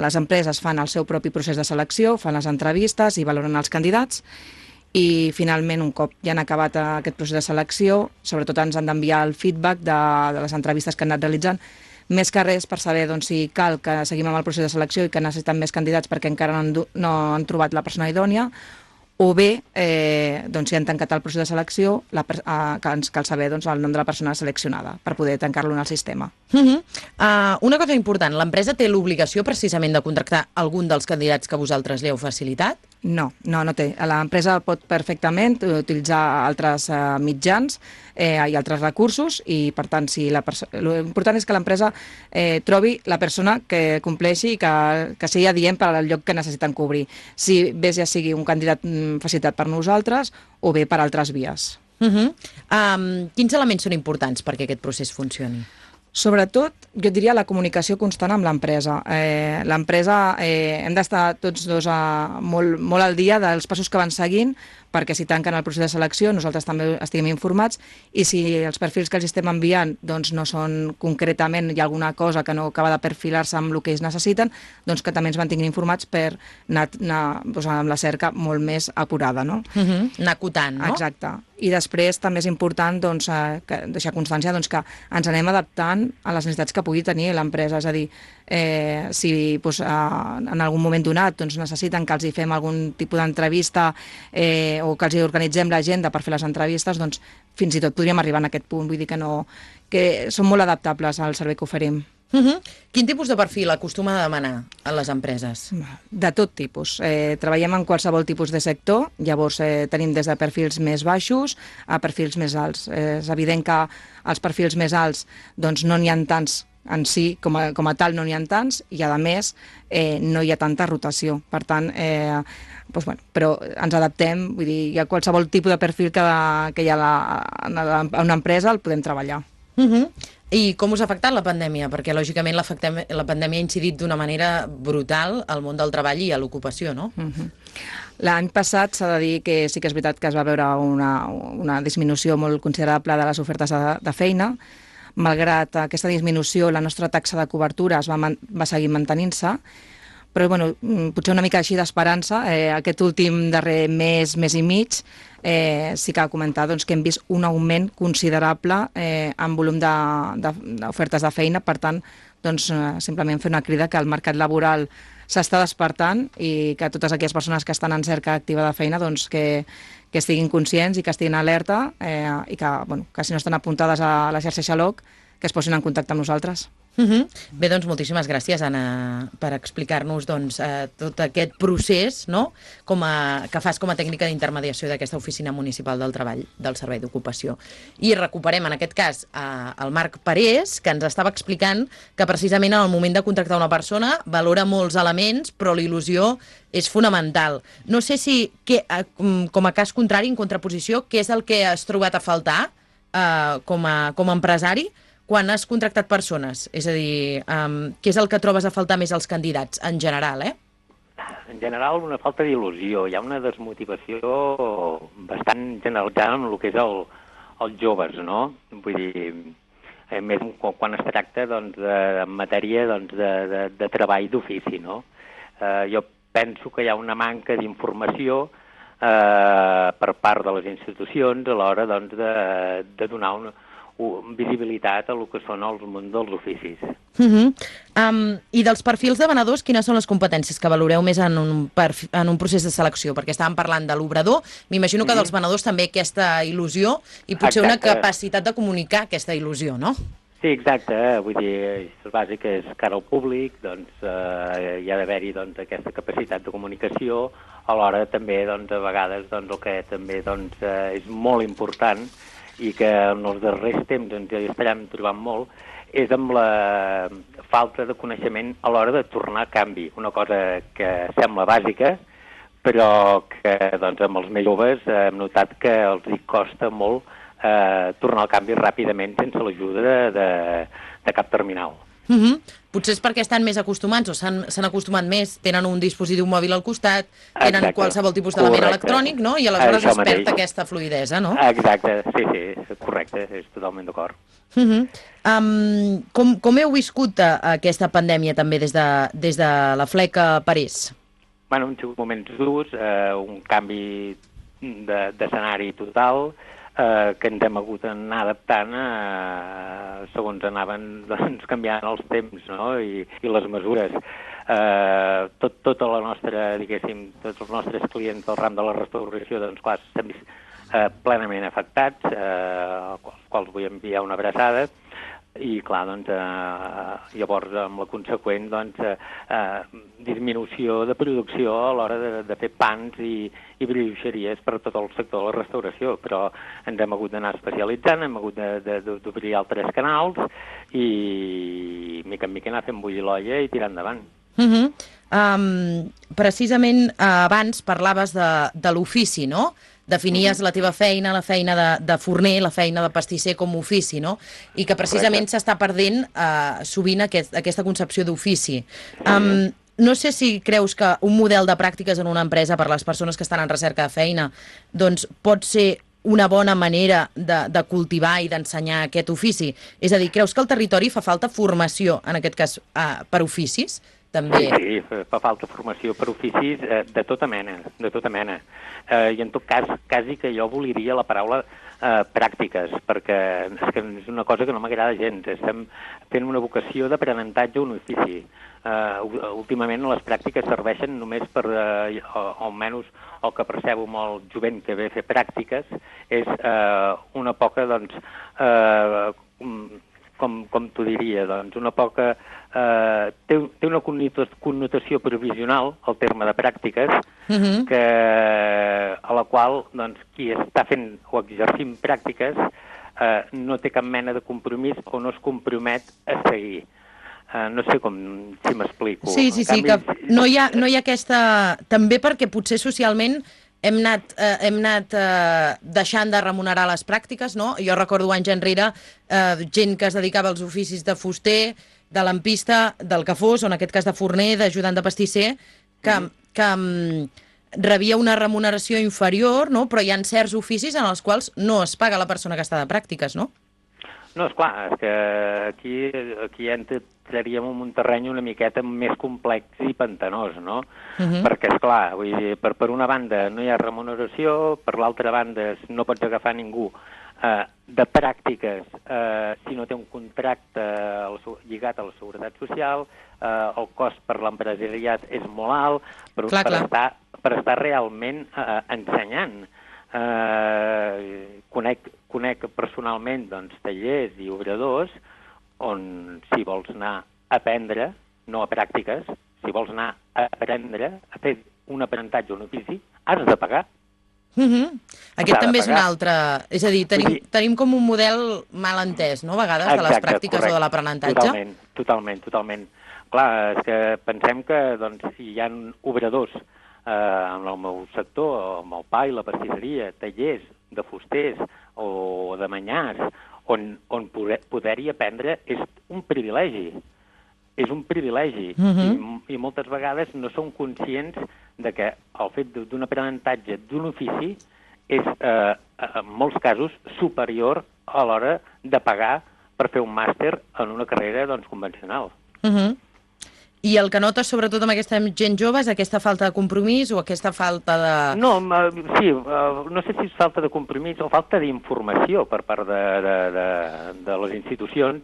Les empreses fan el seu propi procés de selecció, fan les entrevistes i valoren els candidats, i finalment, un cop ja han acabat aquest procés de selecció, sobretot ens han d'enviar el feedback de les entrevistes que han anat realitzant, més que res per saber si cal que seguim amb el procés de selecció i que necessiten més candidats perquè encara no han trobat la persona idònia, o bé, si han tancat el procés de selecció, que ens cal saber el nom de la persona seleccionada per poder tancar-lo en el sistema. Una cosa important, l'empresa té l'obligació precisament de contractar algun dels candidats que vosaltres li heu facilitat? No té. L'empresa pot perfectament utilitzar altres mitjans i altres recursos, i per tant l'important és que l'empresa trobi la persona que compleixi i que sigui adient per al lloc que necessiten cobrir, si bé ja sigui un candidat facilitat per nosaltres o bé per altres vies. Quins elements són importants perquè aquest procés funcioni? Sobretot, jo diria la comunicació constant amb l'empresa. L'empresa hem d'estar tots dos molt al dia dels passos que van seguint, perquè si tanquen el procés de selecció nosaltres també estiguem informats, i si els perfils que els estem enviant no són concretament, hi ha alguna cosa que no acaba de perfilar-se amb el que ells necessiten, doncs que també ens mantinguin informats per anar amb la cerca molt més apurada, no? Anar acotant, no? Exacte. I després també és important deixar constància que ens anem adaptant a les necessitats que pugui tenir l'empresa, és a dir, si en algun moment donat necessiten que els hi fem algun tipus d'entrevista o que els hi organitzem l'agenda per fer les entrevistes, doncs fins i tot podríem arribar a aquest punt. Vull dir que són molt adaptables al servei que oferim. Quin tipus de perfil acostuma a demanar a les empreses? De tot tipus. Treballem en qualsevol tipus de sector, llavors tenim des de perfils més baixos a perfils més alts. És evident que els perfils més alts no n'hi ha tants en si, com a tal no n'hi ha tants, i a més no hi ha tanta rotació. Per tant, però ens adaptem, vull dir, hi ha qualsevol tipus de perfil que hi ha a una empresa, el podem treballar. I com us ha afectat la pandèmia? Perquè, lògicament, la pandèmia ha incidit d'una manera brutal al món del treball i a l'ocupació, no? L'any passat s'ha de dir que sí que és veritat que es va veure una disminució molt considerable de les ofertes de feina. Malgrat aquesta disminució, la nostra taxa de cobertura va seguir mantenint-se, però bueno, potser una mica així d'esperança. Aquest últim darrer mes i mig, sí que ha comentat doncs, que hem vist un augment considerable en volum d'ofertes de feina. Per tant, doncs, simplement fer una crida que el mercat laboral s'està despertant i que totes aquelles persones que estan en cerca activa de feina doncs, que estiguin conscients i que estiguin alerta i que si no estan apuntades a la xarxa Xaloc, que es posin en contacte amb nosaltres. Bé, doncs moltíssimes gràcies, Anna, per explicar-nos tot aquest procés, no?, que fas com a tècnica d'intermediació d'aquesta Oficina Municipal del Treball del Servei d'Ocupació. I recuperem, en aquest cas, el Marc Parés, que ens estava explicant que precisament en el moment de contractar una persona valora molts elements, però la il·lusió és fonamental. No sé si, com a cas contrari, en contraposició, què és el que has trobat a faltar com a empresari quan has contractat persones? És a dir, què és el que trobes a faltar més als candidats, en general, En general, una falta d'il·lusió. Hi ha una desmotivació bastant generalitzada en el que és els joves, no? Vull dir, més quan es tracta doncs, en matèria doncs, de treball d'ofici, no? Jo penso que hi ha una manca d'informació per part de les institucions a l'hora doncs, de donar visibilitat a el que són els mons dels oficis. I dels perfils de venedors, quines són les competències que valoreu més en un procés de selecció? Perquè estàvem parlant de l'obrador, m'imagino que dels venedors també aquesta il·lusió i potser una capacitat de comunicar aquesta il·lusió, no? Sí, exacte. Vull dir, el bàsic és cara al públic, doncs hi ha d'haver-hi doncs, aquesta capacitat de comunicació, alhora també doncs, a vegades doncs, el que també doncs, és molt important i que en els darrers temps ens hi estarem trobant molt, és amb la falta de coneixement a l'hora de tornar a canvi. Una cosa que sembla bàsica, però que doncs, amb els més joves hem notat que els hi costa molt tornar al canvi ràpidament sense l'ajuda de cap terminal. Potser és perquè estan més acostumats o s'han acostumat més, tenen un dispositiu mòbil al costat, tenen qualsevol tipus d'element electrònic, no? I aleshores es perd aquesta fluïdesa, no? Exacte, sí, correcte, és totalment d'acord. Com heu viscut aquesta pandèmia també des de la Fleca Parés? Bueno, han sigut moments durs, un canvi d'escenari total, que ens hem hagut d'anar adaptant segons anaven doncs, canviant els temps, no? I les mesures. Tota la nostra, diguéssim, tots els nostres clients del ram de la restauració, doncs clar, s'han vist plenament afectats, als quals vull enviar una abraçada, i clar, doncs, llavors amb la conseqüent doncs, disminució de producció a l'hora de fer pans i brioixeries per tot el sector de la restauració, però ens hem hagut d'anar especialitzant, hem hagut d'obrir altres canals i mica en mica anar fent bullir l'olla i tirar endavant. Precisament abans parlaves de l'ofici, no? Definies la teva feina, la feina de forner, la feina de pastisser com a ofici, no? I que precisament s'està perdent sovint aquesta concepció d'ofici. No sé si creus que un model de pràctiques en una empresa per a les persones que estan en recerca de feina doncs pot ser una bona manera de cultivar i d'ensenyar aquest ofici? És a dir, creus que al territori fa falta formació, en aquest cas, per oficis? També. Sí, fa falta formació per oficis de tota mena, I en tot cas, quasi que jo voliria la paraula pràctiques, perquè és una cosa que no m'agrada gens. Estem fent una vocació d'aprenentatge a un ofici. Últimament les pràctiques serveixen només per, almenys el que percebo molt jovent que ve a fer pràctiques, és una poca, doncs, com t'ho diria, doncs, una poca... té una connotació provisional, el terme de pràctiques, a la qual doncs, qui està fent o exercint pràctiques no té cap mena de compromís o no es compromet a seguir. No sé si m'explico. Sí, que no hi ha aquesta... També perquè potser socialment hem anat deixant de remunerar les pràctiques, no? Jo recordo anys enrere gent que es dedicava als oficis de fuster, de lampista, del que fos, o en aquest cas de forner, d'ajudant de pastisser, que rebia una remuneració inferior, no? Però hi ha certs oficis en els quals no es paga la persona que està de pràctiques, no? No, esclar, és que aquí entraríem en un terreny una miqueta més complex i pantanós, no? Perquè, esclar, vull dir, per una banda no hi ha remuneració, per l'altra banda no pots agafar ningú de pràctiques si no té un contracte lligat a la seguretat social, el cost per l'empresariat és molt alt, per estar realment ensenyant. Conec personalment tallers i obradors on si vols anar a aprendre, no a pràctiques, si vols anar a aprendre, a fer un aprenentatge o un ofici, has de pagar. Aquest també és un altre... És a dir, tenim com un model mal entès, no?, a vegades, de les pràctiques o de l'aprenentatge. Totalment. Clar, és que pensem que si hi ha obradors en el meu sector, amb el pa i la pastisseria, tallers de fusters o de manyars, on poder-hi aprendre és un privilegi. És un privilegi. I moltes vegades no som conscients de que el fet d'un aprenentatge d'un ofici és, en molts casos, superior a l'hora de pagar per fer un màster en una carrera convencional. I el que notes, sobretot amb aquesta gent jove, és aquesta falta de compromís o aquesta falta de... No, sí, no sé si és falta de compromís o falta d'informació per part de les institucions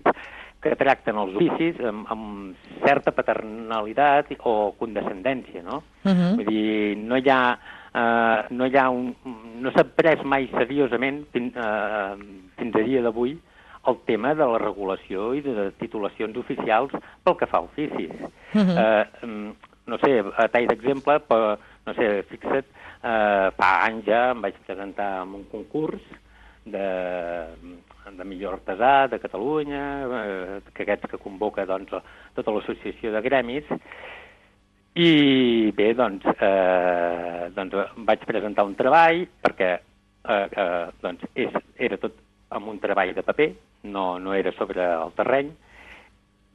que tracten els oficis amb certa paternalitat o condescendència, no? Vull dir, no s'ha pres mai seriosament fins a dia d'avui el tema de la regulació i de titulacions oficials pel que fa a oficis. No sé, a tall d'exemple, no sé, fixa't, fa anys ja em vaig presentar en un concurs de millor artesà de Catalunya, que aquests que convoca tota l'associació de gremis, i bé, vaig presentar un treball perquè era tot amb un treball de paper, no era sobre el terreny,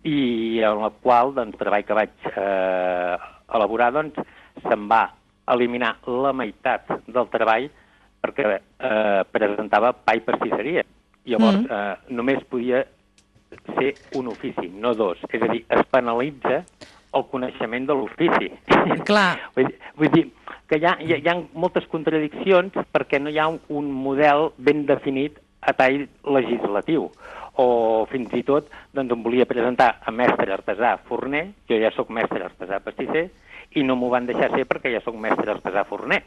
i en el qual, treball que vaig elaborar, se'm va eliminar la meitat del treball perquè presentava pa i pastisseria. Llavors, només podia ser un ofici, no dos. És a dir, es penalitza el coneixement de l'ofici. Clar. Vull dir que hi ha moltes contradiccions perquè no hi ha un model ben definit a tall legislatiu. O fins i tot em volia presentar a mestre artesà forner, jo ja sóc mestre artesà pastisser, i no m'ho van deixar ser perquè ja sóc mestre artesà forner.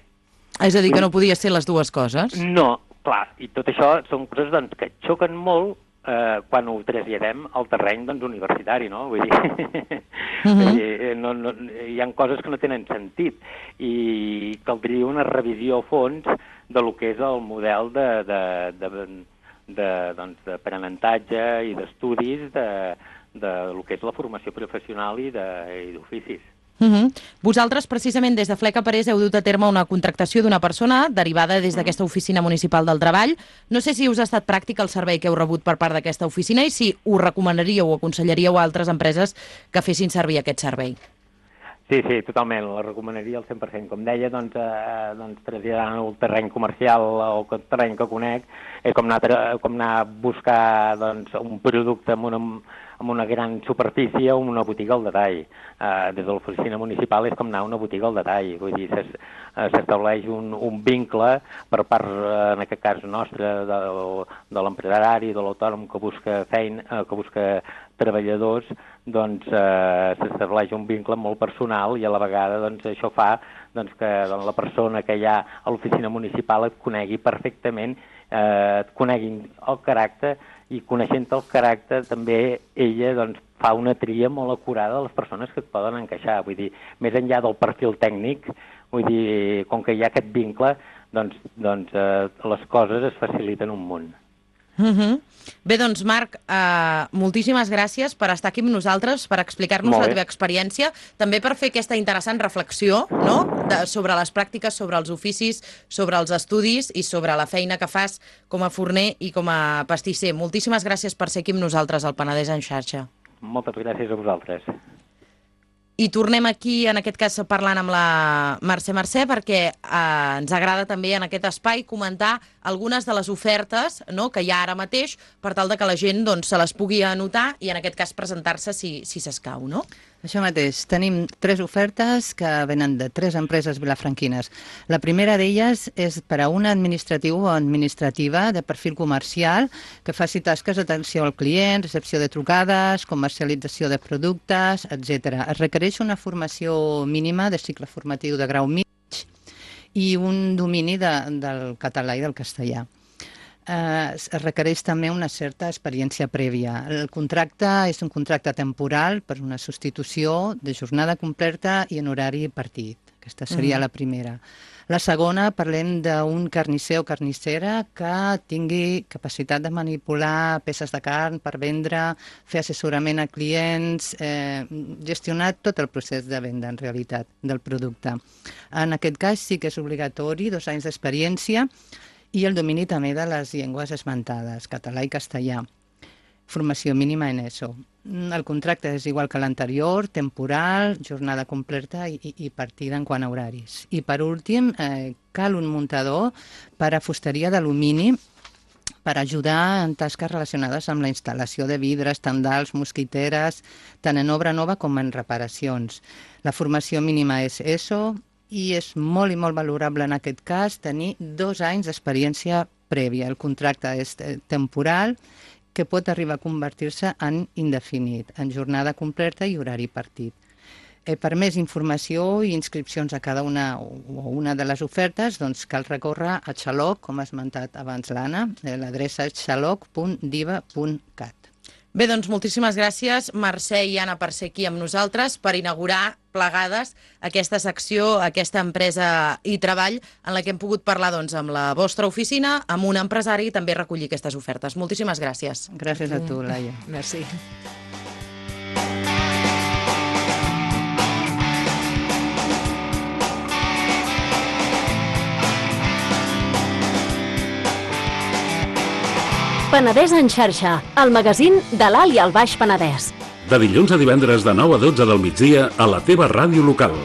És a dir, que no podia ser les dues coses? No, clar, i tot això són coses que xoquen molt quan ho traslladem al terreny universitari, no? Vull dir, hi ha coses que no tenen sentit i caldria una revisió a fons de lo que és el model d'aprenentatge i d'estudis de lo que és la formació professional i d'oficis. Vosaltres, precisament, des de Fleca Parés heu dut a terme una contractació d'una persona derivada des d'aquesta oficina municipal del treball. No sé si us ha estat pràctic el servei que heu rebut per part d'aquesta oficina i si ho recomanaríeu o aconsellaríeu a altres empreses que fessin servir aquest servei. Sí, totalment, la recomanaria al 100%. Com deia, traslladant el terreny comercial o el terreny que conec, és com anar a buscar un producte amb una gran superfície o una botiga al detall. Des de l'oficina municipal és com anar a una botiga al detall. Vull dir, s'estableix un vincle per part, en aquest cas nostre, de l'empresari, de l'autònom que busca feina, que busca treballadors, s'estableix un vincle molt personal i a la vegada això fa que la persona que hi ha a l'oficina municipal et conegui perfectament, et coneguin el caràcter i coneixent el caràcter també ella fa una tria molt acurada de les persones que et poden encaixar. Vull dir, més enllà del perfil tècnic, vull dir, com que hi ha aquest vincle, les coses es faciliten un munt. Bé, doncs, Marc, moltíssimes gràcies per estar aquí amb nosaltres, per explicar-nos la teva experiència, també per fer aquesta interessant reflexió, no?, sobre les pràctiques, sobre els oficis, sobre els estudis i sobre la feina que fas com a forner i com a pastisser. Moltíssimes gràcies per ser aquí amb nosaltres al Penedès en xarxa. Moltes gràcies a vosaltres. I tornem aquí, en aquest cas, parlant amb la Mercè, perquè ens agrada també en aquest espai comentar algunes de les ofertes, no?, que hi ha ara mateix, per tal de que la gent doncs, se les pugui anotar i en aquest cas presentar-se si s'escau, no? Això mateix. Tenim 3 ofertes que venen de 3 empreses vilafranquines. La primera d'elles és per a un administratiu o administrativa de perfil comercial que faci tasques d'atenció al client, recepció de trucades, comercialització de productes, etc. Es requereix una formació mínima de cicle formatiu de grau mig i un domini del català i del castellà. Es requereix també una certa experiència prèvia. El contracte és un contracte temporal per una substitució de jornada completa i en horari partit. Aquesta seria la primera. La segona, parlem d'un carnisser o carnissera que tingui capacitat de manipular peces de carn per vendre, fer assessorament a clients, gestionar tot el procés de venda, en realitat, del producte. En aquest cas sí que és obligatori 2 anys d'experiència i el domini també de les llengües esmentades, català i castellà. Formació mínima en ESO. El contracte és igual que l'anterior, temporal, jornada completa i partida en quant a horaris. I per últim, cal un muntador per a fusteria d'alumini per ajudar en tasques relacionades amb la instal·lació de vidres, tendals, mosquiteres, tant en obra nova com en reparacions. La formació mínima és ESO, i és molt i molt valorable en aquest cas tenir 2 anys d'experiència prèvia. El contracte és temporal, que pot arribar a convertir-se en indefinit, en jornada completa i horari partit. Per més informació i inscripcions a cada una de les ofertes, doncs cal recórrer a Xaloc, com ha esmentat abans l'Anna, l'adreça és xaloc.diva.cat. Bé, doncs moltíssimes gràcies, Mercè i Anna, per ser aquí amb nosaltres, per inaugurar plegades aquesta secció, aquesta empresa i treball, en la que hem pogut parlar doncs, amb la vostra oficina, amb un empresari i també recollir aquestes ofertes. Moltíssimes gràcies. Gràcies a tu, Laia. Merci. Penedès en xarxa, el magazín de l'Alt i el Baix Penedès. De dilluns a divendres de 9 a 12 del migdia a la teva ràdio local.